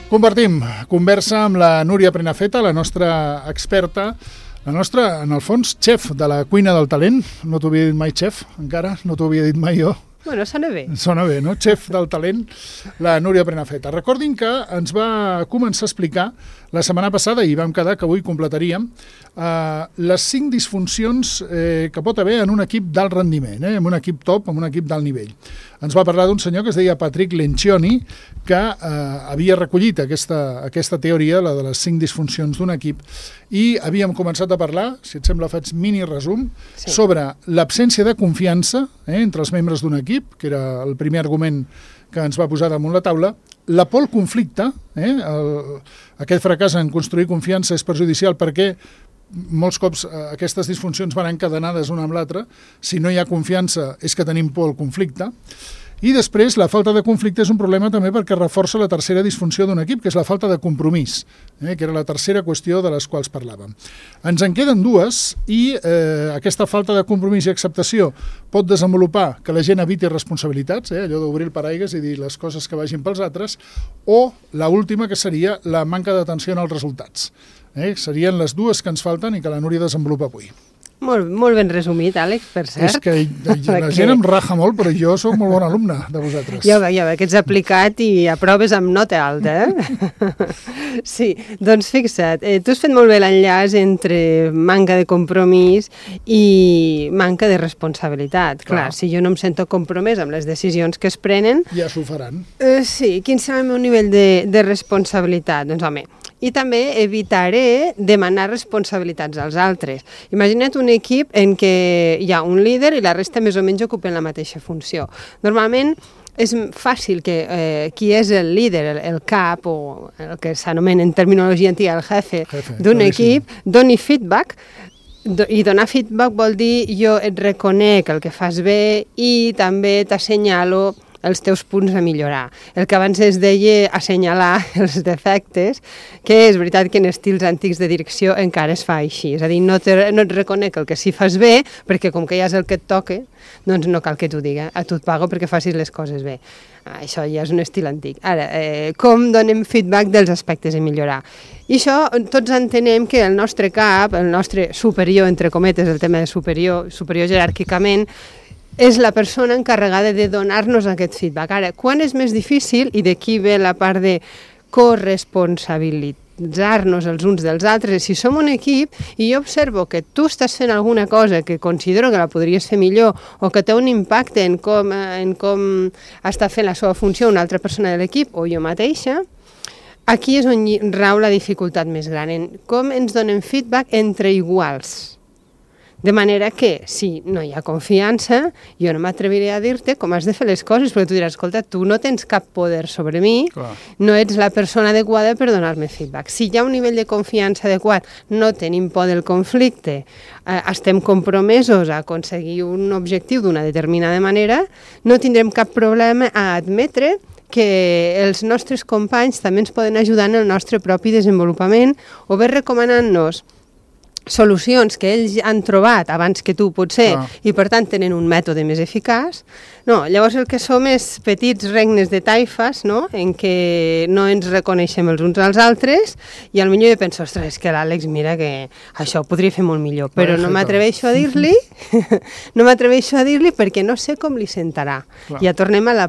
Compartim conversa amb la Núria Prenafeta, la nostra experta, la nostra, en el fons, xef de la cuina del talent. No t'ho havia dit mai xef, encara, no t'ho havia dit mai jo. Bueno, sona bé. Sona bé, no? Xef del talent, la Núria Prenafeta. Recordin que ens va començar a explicar la setmana passada, i vam quedar que avui completaríem, les 5 disfuncions que pot haver en un equip d'alt rendiment, en un equip top, en un equip d'alt nivell. Ens va parlar d'un senyor que es deia Patrick Lencioni, que havia recollit aquesta teoria, la de les 5 disfuncions d'un equip, i havíem començat a parlar, si et sembla faig mini resum, sobre l'absència de confiança entre els membres d'un equip, que era el primer argument que ens va posar damunt la taula, la por al conflicte, aquest fracàs en construir confiança és perjudicial perquè molts cops aquestes disfuncions van encadenades una amb l'altra. Si no hi ha confiança és que tenim por al conflicte. I després, la falta de conflicte és un problema també perquè reforça la tercera disfunció d'un equip, que és la falta de compromís, que era la tercera qüestió de les quals parlàvem. Ens en queden dues i aquesta falta de compromís i acceptació pot desenvolupar que la gent eviti responsabilitats, allò d'obrir el paraigües i dir les coses que vagin pels altres, o l'última, que seria la manca d'atenció als resultats. Serien les dues que ens falten i que la Núria desenvolupa avui. Molt ben resumit, Àlex, per cert. És que la gent em raja molt, però jo sóc molt bon alumne de vosaltres. Ja ve que ets aplicat i aproves amb nota alta, Sí, doncs fixa't, tu has fet molt bé l'enllaç entre manca de compromís i manca de responsabilitat. Clar, si jo no em sento compromès amb les decisions que es prenen... Ja s'ho faran. Sí, quin serà el meu nivell de responsabilitat? Doncs home, i també evitaré demanar responsabilitats als altres. Imagina't un equip en què hi ha un líder i la resta més o menys ocupen la mateixa funció. Normalment és fàcil que qui és el líder, el cap, o el que s'anomena en terminologia antiga el jefe d'un equip, doni feedback. I donar feedback vol dir jo et reconec el que fas bé i també t'assenyalo els teus punts a millorar. El que abans es deia assenyalar els defectes, que és veritat que en estils antics de direcció encara es fa així. És a dir, no et reconec el que sí fas bé, perquè com que ja és el que et toca, doncs no cal que t'ho diga. A tu et pago perquè facis les coses bé. Això ja és un estil antic. Ara, com donem feedback dels aspectes a millorar? I això tots entenem que el nostre cap, el nostre superior, entre cometes, el tema de superior jeràrquicament, és la persona encarregada de donar-nos aquest feedback. Ara, quan és més difícil, i d'aquí ve la part de corresponsabilitzar-nos els uns dels altres, si som un equip i jo observo que tu estàs fent alguna cosa que considero que la podries fer millor o que té un impacte en com està fent la seva funció una altra persona de l'equip o jo mateixa, aquí és on rau la dificultat més gran, en com ens donem feedback entre iguals. De manera que, si no hi ha confiança, jo no m'atreviré a dir-te com has de fer les coses, perquè tu diràs, escolta, tu no tens cap poder sobre mi, no ets la persona adequada per donar-me feedback. Si hi ha un nivell de confiança adequat, no tenim por del conflicte, estem compromesos a aconseguir un objectiu d'una determinada manera, no tindrem cap problema a admetre que els nostres companys també ens poden ajudar en el nostre propi desenvolupament o bé recomanant-nos solucions que ells han trobat abans que tu, potser, i per tant tenen un mètode més eficaç. No, llavors el que som és petits regnes de taifes, no?, en què no ens reconeixem els uns als altres i potser jo penso, ostres, és que l'Àlex, mira que això ho podria fer molt millor, però no m'atreveixo a dir-li, perquè no sé com li sentarà. Ja tornem a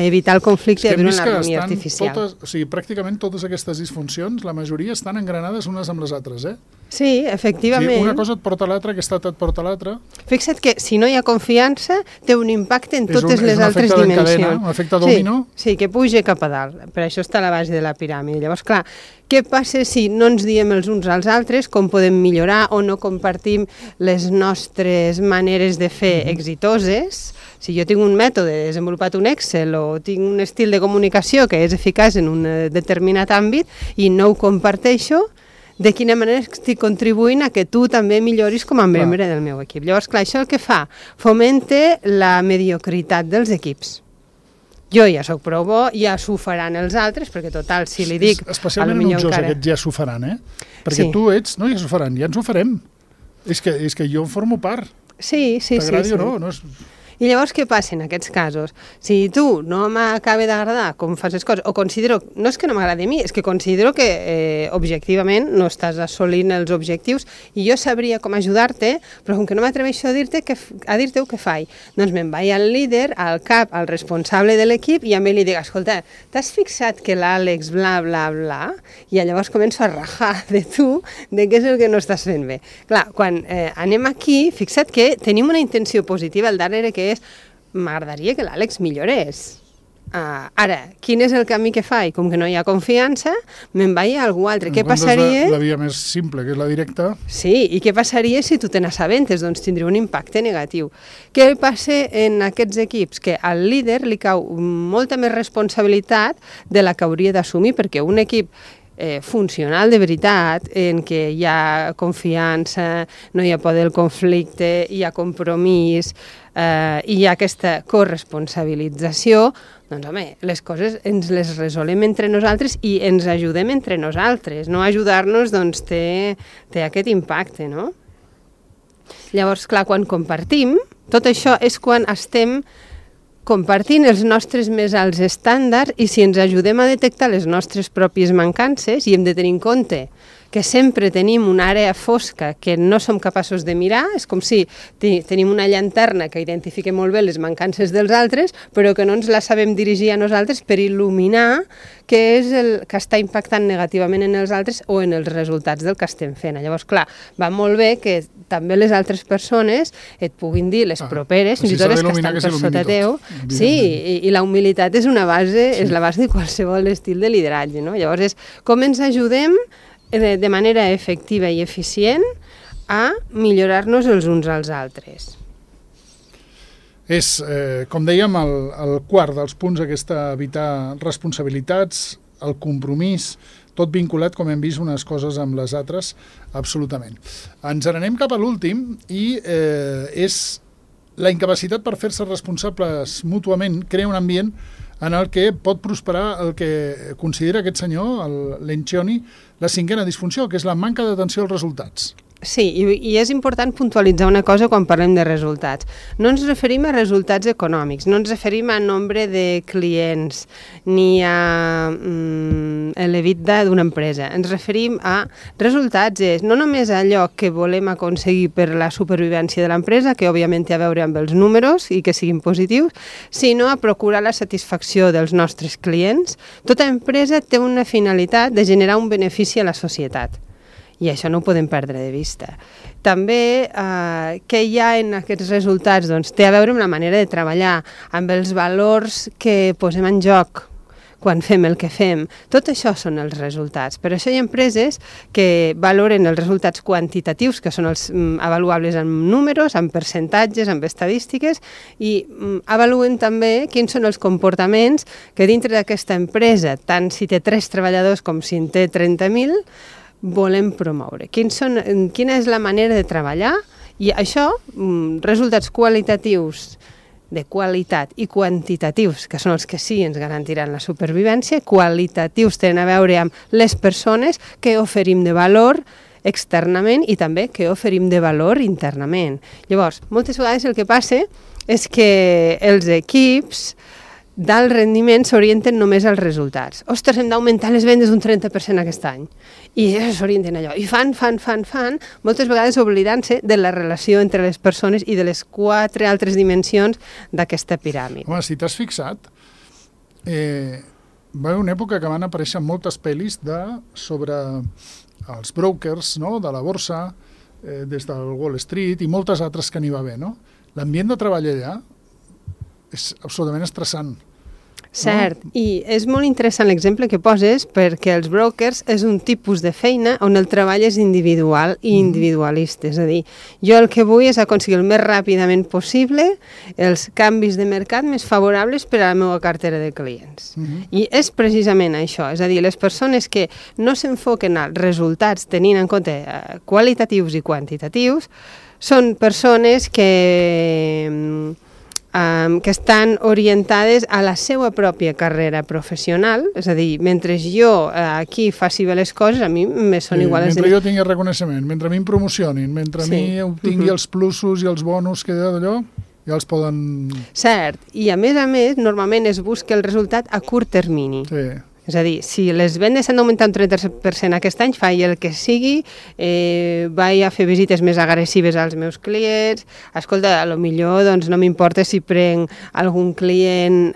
evitar el conflicte i a viure una harmonia artificial. O sigui, pràcticament totes aquestes disfuncions, la majoria estan engranades unes amb les altres, Sí, efectivament. Sí, una cosa et porta a l'altra, aquesta et porta a l'altra. Fixa't que si no hi ha confiança, té un impacte en totes les altres dimensions. Un efecte domino. Sí, que puja cap a dalt. Per això està a la base de la piràmide. Llavors, clar, què passa si no ens diem els uns als altres com podem millorar o no compartim les nostres maneres de fer exitoses? Si jo tinc un mètode, he desenvolupat un Excel o tinc un estil de comunicació que és eficaç en un determinat àmbit i no ho comparteixo, de quina manera estic contribuint a que tu també milloris com a membre del meu equip. Llavors, clar, això el que fa? Fomenta la mediocritat dels equips. Jo ja sóc prou bo, ja s'ho faran els altres, perquè total, si li dic... Especialment enutjós aquests ja s'ho faran, Perquè tu ets, no, ja s'ho faran, ja ens ho farem. És que jo en formo part. Sí. T'agradi o no? I llavors què passa en aquests casos? Si tu no m'acaba d'agradar com fas les coses, o considero, no és que no m'agradi a mi, és que considero que objectivament no estàs assolint els objectius i jo sabria com ajudar-te, però com que no m'atreveixo a dir-te-ho, què faig? Doncs me'n vaig al líder, al cap, al responsable de l'equip i a mi li dic, escolta, t'has fixat que l'Àlex bla, bla, bla? I llavors començo a rajar de tu de què és el que no estàs fent bé. Clar, quan anem aquí, fixa't que tenim una intenció positiva al darrere que és m'agradaria que l'Àlex millorés. Ara, quin és el camí que faig? Com que no hi ha confiança, me'n vaig a algú altre. Què passaria? La via més simple, que és la directa. Sí, i què passaria si tu te n'assabentes? Doncs tindria un impacte negatiu. Què passa en aquests equips? Que al líder li cau molta més responsabilitat de la que hauria d'assumir, perquè un equip funcional de veritat, en què hi ha confiança, no hi ha por del conflicte, hi ha compromís, i hi ha aquesta corresponsabilització, doncs home, les coses ens les resolem entre nosaltres i ens ajudem entre nosaltres. No ajudar-nos doncs té aquest impacte, no? Llavors, clar, quan compartim, tot això és quan estem compartint els nostres més alts estàndards i si ens ajudem a detectar les nostres pròpies mancances i hem de tenir en compte que sempre tenim una àrea fosca que no som capaços de mirar, és com si tenim una llanterna que identifica molt bé les mancances dels altres, però que no ens la sabem dirigir a nosaltres per il·luminar què és el que està impactant negativament en els altres o en els resultats del que estem fent. Llavors, clar, va molt bé que també les altres persones et puguin dir, les properes, fins i tot les que estan per sota teu. Sí, i la humilitat és una base, és la base de qualsevol estil de lideratge, no? Llavors és com ens ajudem de manera efectiva i eficient a millorar-nos els uns als altres. És, com dèiem, el quart dels punts aquesta evitar responsabilitats, el compromís, tot vinculat, com hem vist, unes coses amb les altres, absolutament. Ens n'anem cap a l'últim i és la incapacitat per fer-se responsables mútuament, crea un ambient en el que pot prosperar el que considera aquest senyor, l'Encioni, la cinquena disfunció, que és la manca d'atenció als resultats. Sí, i és important puntualitzar una cosa quan parlem de resultats. No ens referim a resultats econòmics, no ens referim a nombre de clients ni a l'EBITDA d'una empresa. Ens referim a resultats, és no només allò que volem aconseguir per la supervivència de l'empresa, que òbviament té a veure amb els números i que siguin positius, sinó a procurar la satisfacció dels nostres clients. Tota empresa té una finalitat de generar un benefici a la societat. I això no ho podem perdre de vista. També què hi ha en aquests resultats? Doncs té a veure amb la manera de treballar, amb els valors que posem en joc quan fem el que fem. Tot això són els resultats. Per això hi ha empreses que valoren els resultats quantitatius, que són els avaluables amb números, amb percentatges, amb estadístiques, i avaluen també quins són els comportaments que dintre d'aquesta empresa, tant si té 3 treballadors com si en té 30.000, volem promoure. Quina és la manera de treballar? I això, resultats qualitatius de qualitat i quantitatius, que són els que sí ens garantiran la supervivència, qualitatius tenen a veure amb les persones que oferim de valor externament i també que oferim de valor internament. Llavors, moltes vegades el que passa és que els equips d'alt rendiment s'orienten només als resultats. Ostres, hem d'augmentar les vendes un 30% aquest any. I s'orienten allò. I fan, moltes vegades oblidant-se de la relació entre les persones i de les 4 altres dimensions d'aquesta piràmide. Home, si t'has fixat, va haver una època que van aparèixer moltes pel·lis sobre els brokers, no?, de la borsa, des del Wall Street i moltes altres que n'hi va haver, no? L'ambient de treball allà és absolutament estressant. Cert, i és molt interessant l'exemple que poses perquè els brokers és un tipus de feina on el treball és individual i individualista, és a dir, jo el que vull és aconseguir el més ràpidament possible els canvis de mercat més favorables per a la meva cartera de clients. I és precisament això, és a dir, les persones que no s'enfoquen als resultats tenint en compte qualitatius i quantitatius són persones que estan orientades a la seva pròpia carrera professional, és a dir, mentre jo aquí faci bé les coses, a mi me són iguals. Mentre jo tingui reconeixement, mentre a mi em promocionin, mentre a mi obtingui els plusos i els bonus que d'allò... ja els poden... Cert, i a més, normalment es busca el resultat a curt termini. Sí. És a dir, si les vendes han d'augmentar un 30% aquest any, faig el que sigui, vaig a fer visites més agressives als meus clients, escolta, a lo millor doncs, no m'importa si prenc algun client,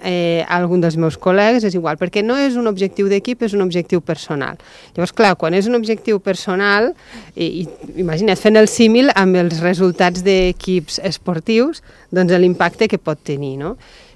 algun dels meus col·legues, és igual, perquè no és un objectiu d'equip, és un objectiu personal. Llavors, clar, quan és un objectiu personal, imagina't fent el símil amb els resultats d'equips esportius, doncs l'impacte que pot tenir, no?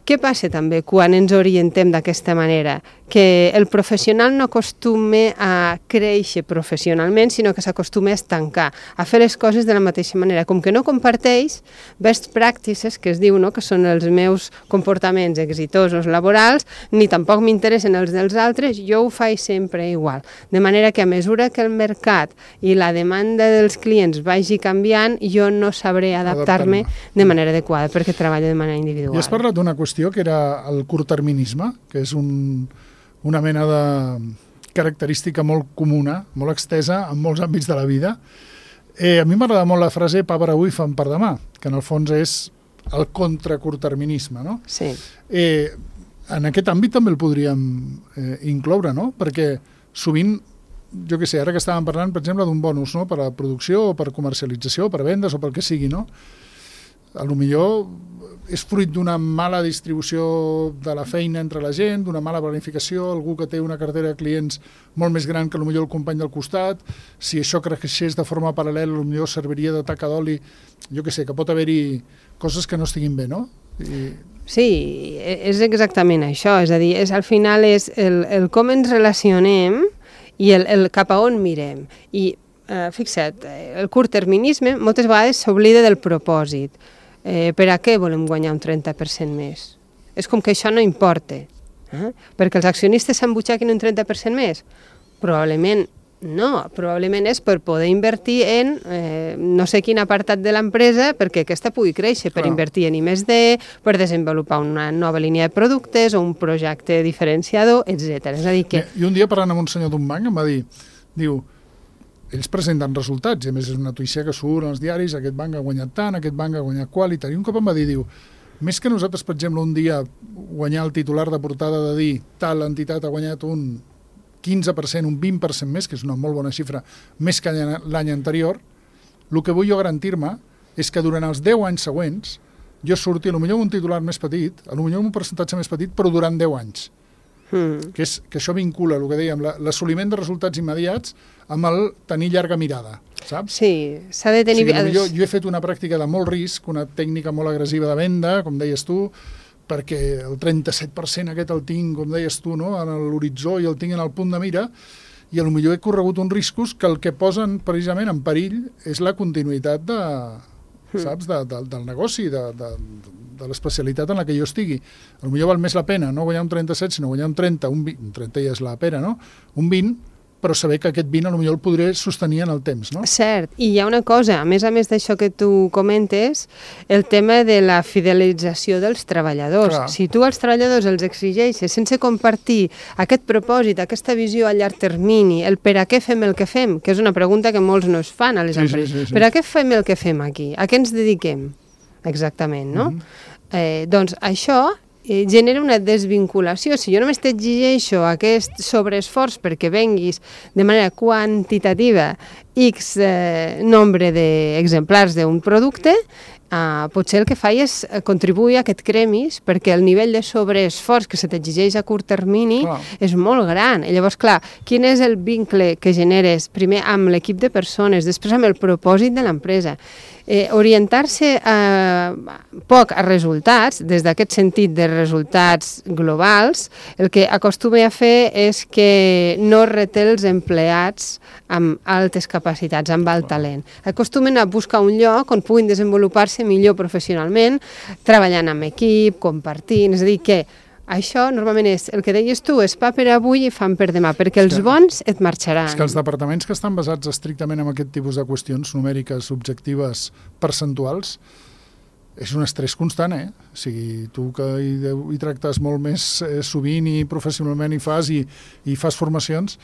Què passa també quan ens orientem d'aquesta manera? Que el professional no acostuma a créixer professionalment, sinó que s'acostuma a estancar, a fer les coses de la mateixa manera. Com que no comparteix best practices, que es diu, no? Que són els meus comportaments exitosos laborals, ni tampoc m'interessen els dels altres, jo ho faig sempre igual. De manera que a mesura que el mercat i la demanda dels clients vagi canviant, jo no sabré adaptar-me de manera adequada, perquè treballo de manera individual. I has parlat d'una qüestió que era el curtterminisme, que és una mena de característica molt comuna, molt extesa en molts àmbits de la vida. A mi m'agrada molt la frase pa per avui, fam per demà, que en el fons és el contracurtterminisme, no? Sí. En aquest àmbit també el podríem incloure, no? Perquè sovint, jo què sé, ara que estàvem parlant, per exemple, d'un bonus, no? Per a producció o per comercialització, per a vendes o pel que sigui, no? A lo millor és fruit d'una mala distribució de la feina entre la gent, d'una mala planificació, algú que té una cartera de clients molt més gran que potser el company del costat, si això creixés de forma paral·lela, potser serviria de taca d'oli, jo què sé, que pot haver-hi coses que no estiguin bé, no? Sí, és exactament això, és a dir, al final és el com ens relacionem i el cap a on mirem. I fixa't, el curtterminisme moltes vegades s'oblida del propòsit. Per a què volem guanyar un 30% més? És com que això no importa. Perquè els accionistes s'embutxaquen un 30% més? Probablement no, probablement és per poder invertir en no sé quin apartat de l'empresa perquè aquesta pugui créixer, per invertir en I+D, per desenvolupar una nova línia de productes o un projecte diferenciador, etc. És a dir que... I un dia parlant amb un senyor d'un banc em va dir, diu, ells presenten resultats, i a més és una notícia que surt als diaris, aquest banc ha guanyat tant, aquest banc ha guanyat qual, i tal. I un cop em va dir, diu, més que nosaltres, per exemple, un dia guanyar el titular de portada de dir tal entitat ha guanyat un 15%, un 20% més, que és una molt bona xifra, més que l'any anterior, el que vull jo garantir-me és que durant els 10 anys següents jo surti potser un titular més petit, potser un percentatge més petit, però durant 10 anys. Que això vincula el que dèiem, l'assoliment de resultats immediats amb el tenir llarga mirada, saps? Sí, s'ha de tenir... Jo he fet una pràctica de molt risc, una tècnica molt agressiva de venda, com deies tu, perquè el 37% aquest el tinc, com deies tu, no? En l'horitzó i el tinc en el punt de mira, i potser he corregut uns riscos que el que posen precisament en perill és la continuïtat saps, del negoci, de l'especialitat en la que jo estigui. Potser val més la pena no guanyar un 37, sinó guanyar un 30, un 20, un 30 ja és la pera, no? Un 20, però saber que aquest 20 potser el podré sostenir en el temps, no? Cert, i hi ha una cosa, a més d'això que tu comentes, el tema de la fidelització dels treballadors. Clar. Si tu als treballadors els exigeixes sense compartir aquest propòsit, aquesta visió a llarg termini, el per a què fem el que fem, que és una pregunta que molts no es fan a les empreses. Sí. Per a què fem el que fem aquí? A què ens dediquem? Exactament, no? Doncs això genera una desvinculació. Si jo només t'exigeixo aquest sobreesforç perquè venguis de manera quantitativa X nombre d'exemplars d'un producte, potser el que faig és contribuir a que et cremis perquè el nivell de sobreesforç que se t'exigeix a curt termini és molt gran. I llavors, clar, quin és el vincle que generes primer amb l'equip de persones, després amb el propòsit de l'empresa? Orientar-se poc a resultats, des d'aquest sentit de resultats globals, el que acostuma a fer és que no reté els empleats amb altes capacitats, amb alt talent. Acostumen a buscar un lloc on puguin desenvolupar-se millor professionalment, treballant amb equip, compartint, és a dir, que això normalment és, el que deies tu, és pa per avui i fam per demà, perquè els bons et marxaran. És que els departaments que estan basats estrictament en aquest tipus de qüestions numèriques, objectives, percentuals, és un estrès constant, O sigui, tu que hi tractes molt més sovint i professionalment i fas formacions,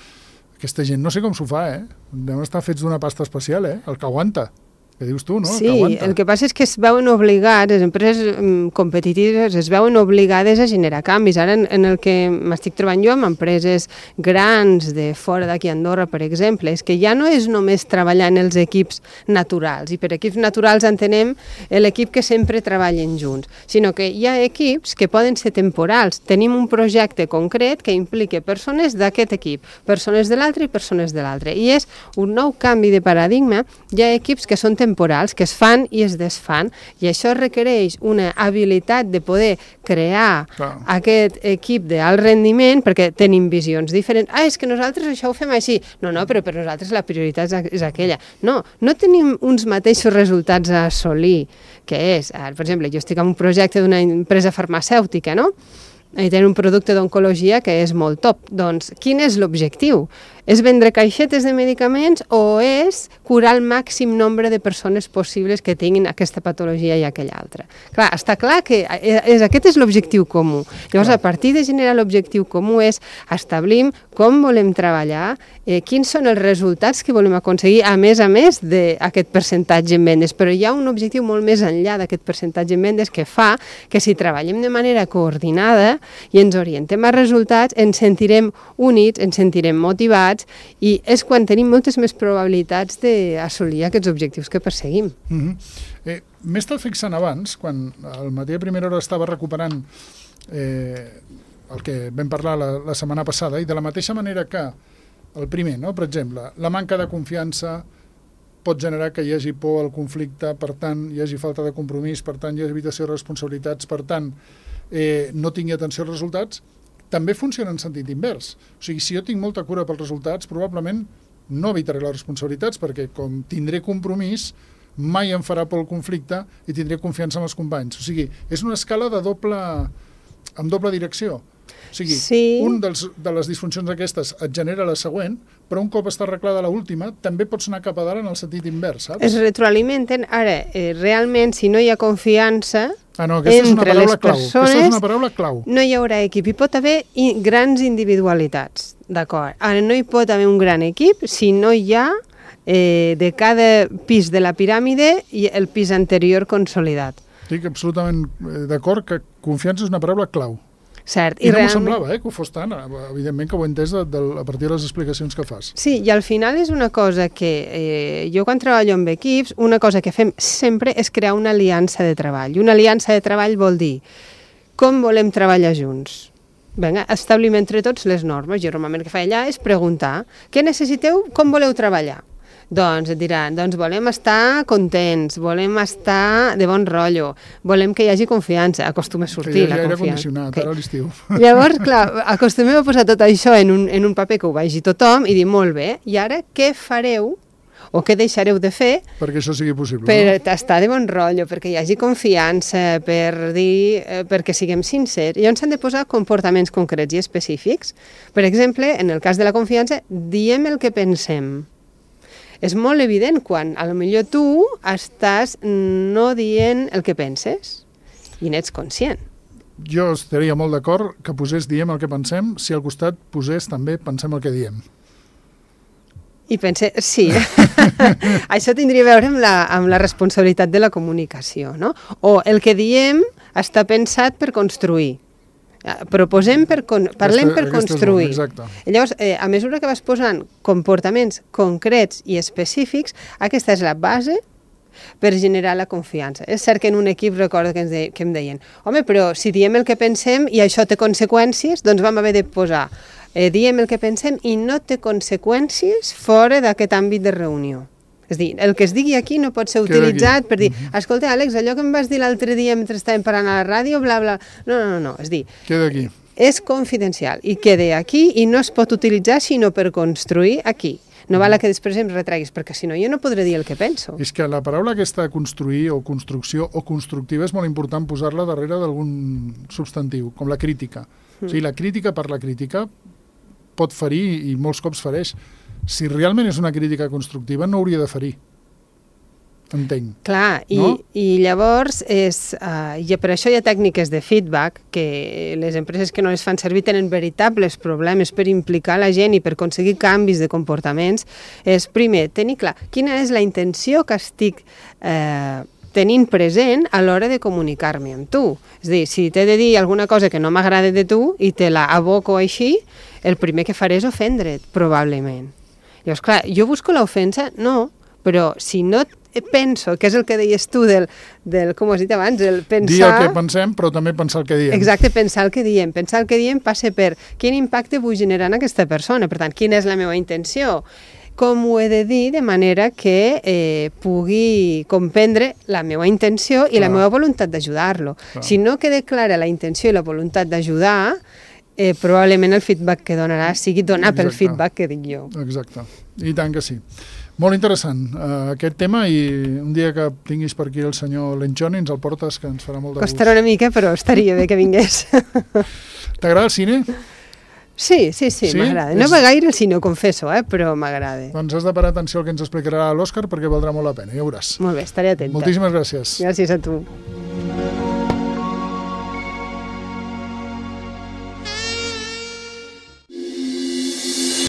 aquesta gent no sé com s'ho fa, Devem estar fets d'una pasta especial, el que aguanta. que dius tu, no? Sí, que aguanta. el que passa és que es veuen obligats, les empreses competitives es veuen obligades a generar canvis. Ara, en el que m'estic trobant jo amb empreses grans de fora d'aquí a Andorra, per exemple, és que ja no és només treballar en els equips naturals, i per equips naturals entenem l'equip que sempre treballen junts, sinó que hi ha equips que poden ser temporals. Tenim un projecte concret que implica persones d'aquest equip, persones de l'altre i persones de l'altre. I és un nou canvi de paradigma. Hi ha equips que són temporals, que es fan i es desfan, i això requereix una habilitat de poder crear aquest equip d'alt rendiment, perquè tenim visions diferents. És que nosaltres això ho fem així. No, però per nosaltres la prioritat és aquella. No tenim uns mateixos resultats a assolir, que és, per exemple, jo estic en un projecte d'una empresa farmacèutica, no? I tenen un producte d'oncologia que és molt top. Doncs, quin és l'objectiu? És vendre caixetes de medicaments o és curar el màxim nombre de persones possibles que tinguin aquesta patologia i aquella altra? Clar, està clar que aquest és l'objectiu comú. Llavors, a partir de generar l'objectiu comú és establim com volem treballar, quins són els resultats que volem aconseguir, a més d'aquest percentatge en vendes. Però hi ha un objectiu molt més enllà d'aquest percentatge en vendes que fa que si treballem de manera coordinada i ens orientem a resultats, ens sentirem units, ens sentirem motivats, i és quan tenim moltes més probabilitats d'assolir aquests objectius que perseguim. M'he estat fixant abans, quan al matí a primera hora estava recuperant el que vam parlar la setmana passada, i de la mateixa manera que el primer, no? Per exemple, la manca de confiança pot generar que hi hagi por al conflicte, per tant, hi hagi falta de compromís, per tant, hi hagi evitació de responsabilitats, per tant, no tingui atenció als resultats, també funciona en sentit invers. O sigui, si jo tinc molta cura pels resultats, probablement no evitaré les responsabilitats, perquè com tindré compromís, mai em farà por el conflicte i tindré confiança en els companys. O sigui, és una escala amb doble direcció. O sigui, un de les disfuncions aquestes et genera la següent, però un cop està arreglada l'última, també pots anar cap a dalt en el sentit invers, saps? Es retroalimenten. Ara, realment, si no hi ha confiança entre les persones, no hi haurà equip. Hi pot haver grans individualitats, d'acord? Ara, no hi pot haver un gran equip si no hi ha de cada pis de la piràmide i el pis anterior consolidat. Estic absolutament d'acord que confiança és una paraula clau. Cert. I no m'ho semblava, que ho fos tant. Evidentment que ho he entès a partir de les explicacions que fas. Sí, i al final és una cosa que jo quan treballo amb equips, una cosa que fem sempre és crear una aliança de treball. I una aliança de treball vol dir com volem treballar junts. Vinga, establim entre tots les normes. Jo normalment el que faig allà és preguntar què necessiteu, com voleu treballar? Doncs et diran, volem estar contents, volem estar de bon rotllo, volem que hi hagi confiança, acostuma a sortir la confiança. Que hi hagi aire condicionat, ara a l'estiu. Llavors, clar, acostumem a posar tot això en un paper que ho vegi tothom i dir, molt bé, i ara què fareu o què deixareu de fer perquè això sigui possible, per estar de bon rotllo, perquè hi hagi confiança, perquè siguem sincers. Llavors s'han de posar comportaments concrets i específics. Per exemple, en el cas de la confiança, diem el que pensem. És molt evident quan a lo millor tu estàs no dient el que penses i n'ets conscient. Jo estaria molt d'acord que posés diem el que pensem si al costat posés també pensem el que diem. I pense, sí, això tindria a veure amb la responsabilitat de la comunicació, no? O el que diem està pensat per construir. Proposem parlem per construir. Llavors, a mesura que vas posant comportaments concrets i específics, aquesta és la base per generar la confiança. És cert que en un equip recordo que em deien però si diem el que pensem i això té conseqüències, doncs vam haver de posar diem el que pensem i no té conseqüències fora d'aquest àmbit de reunió. És dir, el que es digui aquí no pot ser utilitzat per dir, escolta, Àlex, allò que em vas dir l'altre dia mentre estàvem parlant a la ràdio, bla, bla... No. És dir, queda aquí. És confidencial i queda aquí i no es pot utilitzar sinó per construir aquí. No val que després em retreguis, perquè si no jo no podré dir el que penso. És que la paraula aquesta construir o construcció o constructiva és molt important posar-la darrere d'algun substantiu, com la crítica. O sigui, la crítica per la crítica pot ferir i molts cops fereix. Si realment és una crítica constructiva, no hauria de ferir. entenc. Clar, no? i llavors i per això hi ha tècniques de feedback que les empreses que no les fan servir tenen veritables problemes per implicar la gent i per aconseguir canvis de comportaments. És, primer, tenir clar quina és la intenció que estic tenint present a l'hora de comunicar-me amb tu. És a dir, si t'he de dir alguna cosa que no m'agrada de tu i te la aboco així, el primer que faré és ofendre't, probablement. Llavors, clar, jo busco l'ofensa? No, però si no penso, que és el que deies tu del com has dit abans, el pensar... Dir el que pensem, però també pensar el que diem. Exacte, pensar el que diem. Pensar el que diem passa per quin impacte vull generar en aquesta persona. Per tant, quina és la meva intenció? Com ho he de dir de manera que pugui comprendre la meva intenció i la meva voluntat d'ajudar-lo. Si no queda clara la intenció i la voluntat d'ajudar, probablement el feedback que donarà sigui donar pel feedback que dic jo. Exacte, i tant que sí. Molt interessant aquest tema, i un dia que tinguis per aquí el senyor Lencioni ens el portes, que ens farà molt de gust. Costarà una mica, però estaria bé que vingués. T'agrada el cine? Sí, m'agrada. No va gaire el cine, ho confesso, però m'agrada. Doncs has de parar atenció al que ens explicarà l'Òscar, perquè valdrà molt la pena, ja veuràs. Molt bé, estaré atenta. Moltíssimes gràcies. Gràcies a tu.